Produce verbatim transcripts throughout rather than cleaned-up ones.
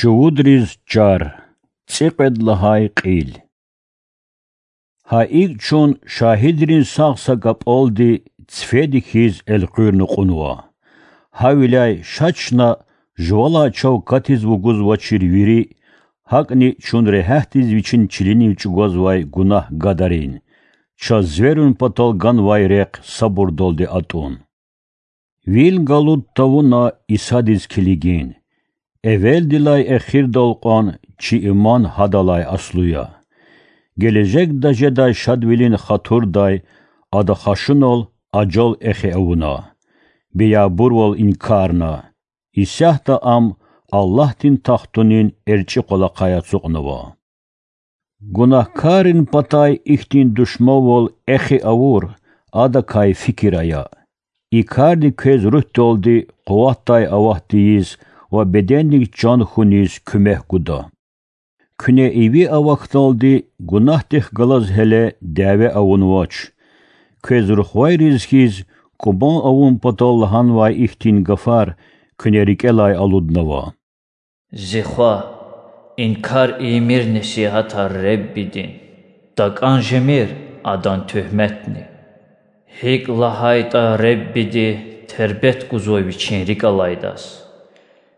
Чувудриз чар. ЦӀикьвед лагьай кьил. Гьа икӀ чун шагьидрин сагъ са кӀапӀалди цифеди хьиз элкъуьрна кьунва. Гьавиляй ша чна жувалай чав катиз вугузвачир вири, гьакӀни чун регьятдиз вичин чилинив чӀугвазвай гунагь гадарин, чаз зверун патал ганвай рехъ сабурдалди атӀун. Вил галуд тавуна Исадиз килигин. Эвелдилай эхирдал кьван чи иман гьадалай аслу я. Гележегда жедай шадвилин хатурдай Ада хашунал ажал эхи авуна, беябурвал инкарна, исятда Ам Аллагьдин тахтунин эрчӀи къвалахъай ацукьнава. Гунагькаррин патай ихьтин душманвал эхи авур Адакай фикир ая. И карди квез руьгьдалди къуватдай ават тийиз ва бедендик чан хьуниз куьмек гуда. Куьне иви авахьдалди гунагьдихъ галаз гьеле дяве авунвач. Квез рухвайриз хьиз кӀубан авун патал лагьанвай ихьтин гафар куьне рикӀелай алуднава: Зи хва, инкар ийимир несигьатар Реббидин, такӀан жемир Адан туьгьметни. ГьикӀ лагьайтӀа Реббиди тербет гузва Вичин рикӀ алайдаз,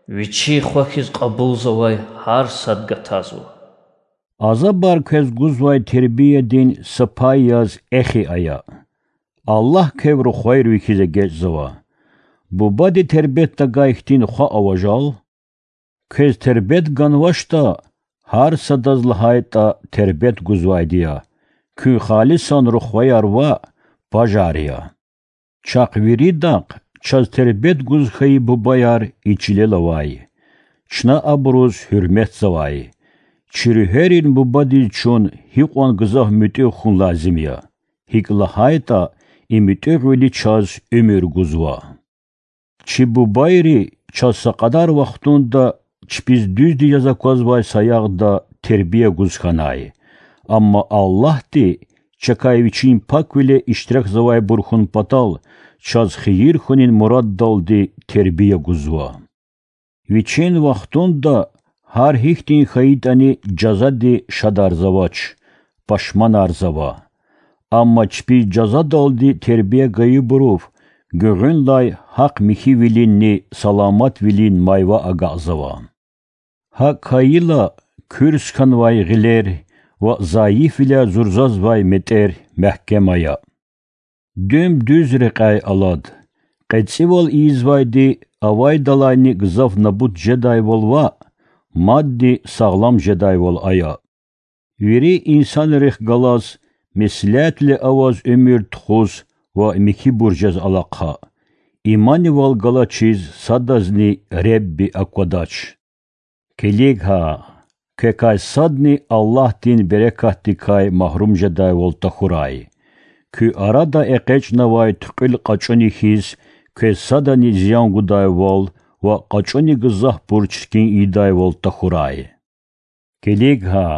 Вичи хва хьиз кьабулзавай гьар сад гатазва. Азабар квез гузвай тербиядин са пай яз эхи ая. Аллагь квев рухвайри ви хьиз эгечӀзава. Бубади тербет тагай хьтин хва ава жал? Квез тербет ганвачтӀа, гьар садаз лагьайтӀа тербет гузвайди я, куьн халисан рухваяр ваъ, пажар я. Чахъ виридахъ чаз тербет гуз хьайи бубаяр и чилел авай. Чна абуруз гьуьрметзавай. Чи руьгьерин Бубадиз чун гьикьван гзаф муьтӀуьгъ хьун лазим я, гьикӀ лагьайтӀа и муьтӀуьгъвили чаз уьмуьр гузва. Чи бубайри чаз са кьадар вахтунда чпиз дуьзди яз аквазвай саягъда тербия гуз хьанай. Амма Аллагьди чакай Вичин паквиле иштиракзавайбур хьун патал чаз хийир хьунин мураддалди тербия гузва. Вичин вахтунда гьар гьихьтин хьайитӀани жазади шадарзавач, пашманарзава. Амма чпиз жазадалди тербия гайибурув гуьгъуьнлай гьахъ-михьивилинни саламатвилин майва агакьзава. ГьакӀ хьайила, куьрс хьанвай гъилер ва зайифвиляй зурзазвай метӀер мягькем ая. Дуьм дуьз рекьяй алад. КъецӀивал ийизвайди авайдалайни гзаф набут жедайвал ваъ, мадни сагълам жедайвал ая. Вири инсанрихъ галаз меслятвиле аваз уьмуьр тухуз ва михьибур жез алахъа. Иманивал галачиз садазни Ребби аквадач. Килиг гьа, квекай садни Аллагьдин берекатдикай магьрум жедайвал тахьурай. Куь арада экъечӀнавай туькьуьл кьачӀуни хьиз, квез садани зиян гудайвал ва кьачӀуни гзафбур чиркин ийидайвал тахьурай. Килиг гьа,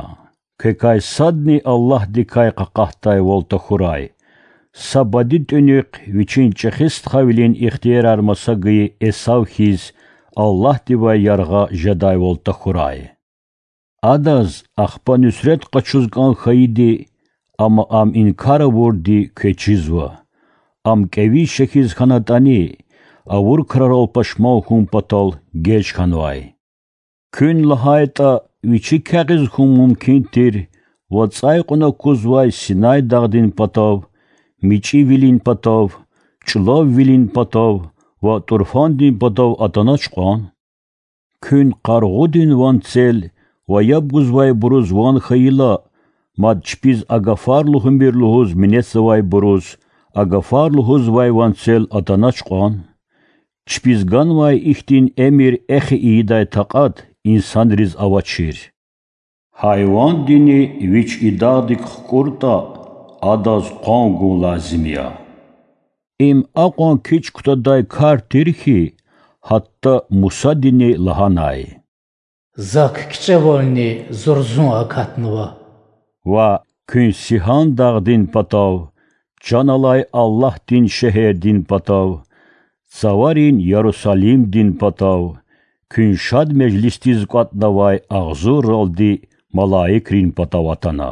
квекай садни Аллагьдикай къакъатдайвал тахьурай. Са бади тӀуьнихъ вичин чӀехи стхавилин ихтиярар маса гайи Эсав хьиз, Аллагьдивай яргъа жедайвал тахьурай. Адаз ахпа нуьсрет къачуз кӀан хьайиди, амма ам инкар авурди квез чизва. Ам кӀевиз шехьиз хьанатӀани, авур крарал пашман хьун патал геж хьанвай. Куьн лагьайтӀа, вичи кягъиз хьун мумкин тир, вацӀай кьуна кузвай Синай дагъдин патав, мичӀивилин патав, чӀулаввилин патав ва тӀурфандин патав атанач кьван? Куьн къаргъудин ванцел ва яб гузвайбуруз ван хьайила, мад чпиз а гафар лугьумир лугьуз минетзавайбуруз а гафар лугьузвай ванцел атанач кьван? Чпиз ганвай ихьтин эмир эхи ийидай такьат инсанриз авачир. Гьайвандини вич и дагъдик хкӀуртӀа, адаз къван гун лазим я. Им акьван кичӀ кутадай кар тир хьи, гьатта Мусадини лагьанай: Зак кичӀевални зурзун акатнава. Ва куьн Сигьан дагъдин патав, чан алай Аллагьдин шегьердин патав, цаварин Ярусалимдин патав, куьн шад межлисдиз кӀватӀнавай агъзурралди малаикрин патав атана.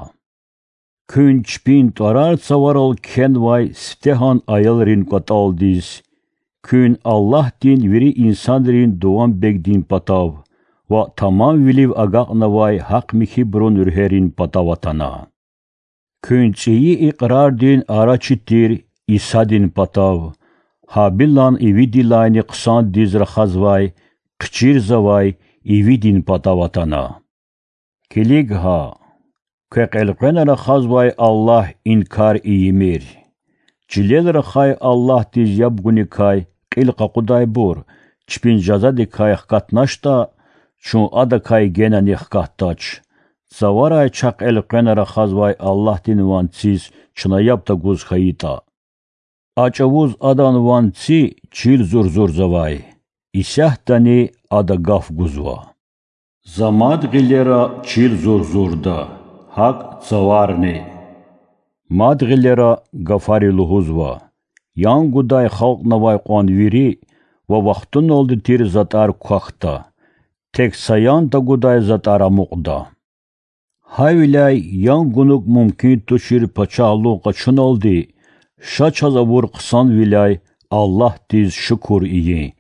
Куьн чпин тӀварар цаварал кхьенвай сифтегьан аялрин кӀватӀалдиз, куьн Аллагьдин вири инсанрин дуванбегдин патав ва тамамвилив агакьнавай гьахъ-михьибурун руьгьерин патав атана. Куьн цӀийи икьрардин арачи тир Исадин патав, Гьабилан ивидилайни хъсандиз рахазвай, хъчирзавай ивидин патав атана. Килиг гьа, квехъ элкъвена рахазвай Аллагь инкар ийимир. Чилел рахай Аллагьдиз яб гуникай кьил къакъудайбур чпин жазадикай хкатначтӀа, чун адакай генани хкатдач. Цаварай чахъ элкъвена рахазвай Аллагьдин ванциз чна яб тагуз хьайитӀа. А чӀавуз адан ванци чил зурзурзавай, исятдани ада гаф гузва. За мад гъилера чил зурзурда, гьакӀ цаварни. Мад гъилера гафари лугьузва: ян гудай халкьнавай кьван вири ва вахтуналди тир затӀар квахьда, тек са ян тагудай затӀар амукьда. Гьавиляй ян гунук мумкин тушир пачагьлугъ къачуналди, ша чаз авур хъсанвиляй Аллагьдиз шукур ийин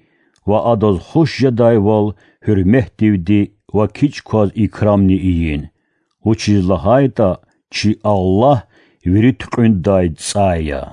ва Адаз хуш жедайвал гьуьрметдивди ва кичӀ кваз икрамни ийин, вучиз лагьайтӀа чи Аллагь вири туькьуьндай цӀай я.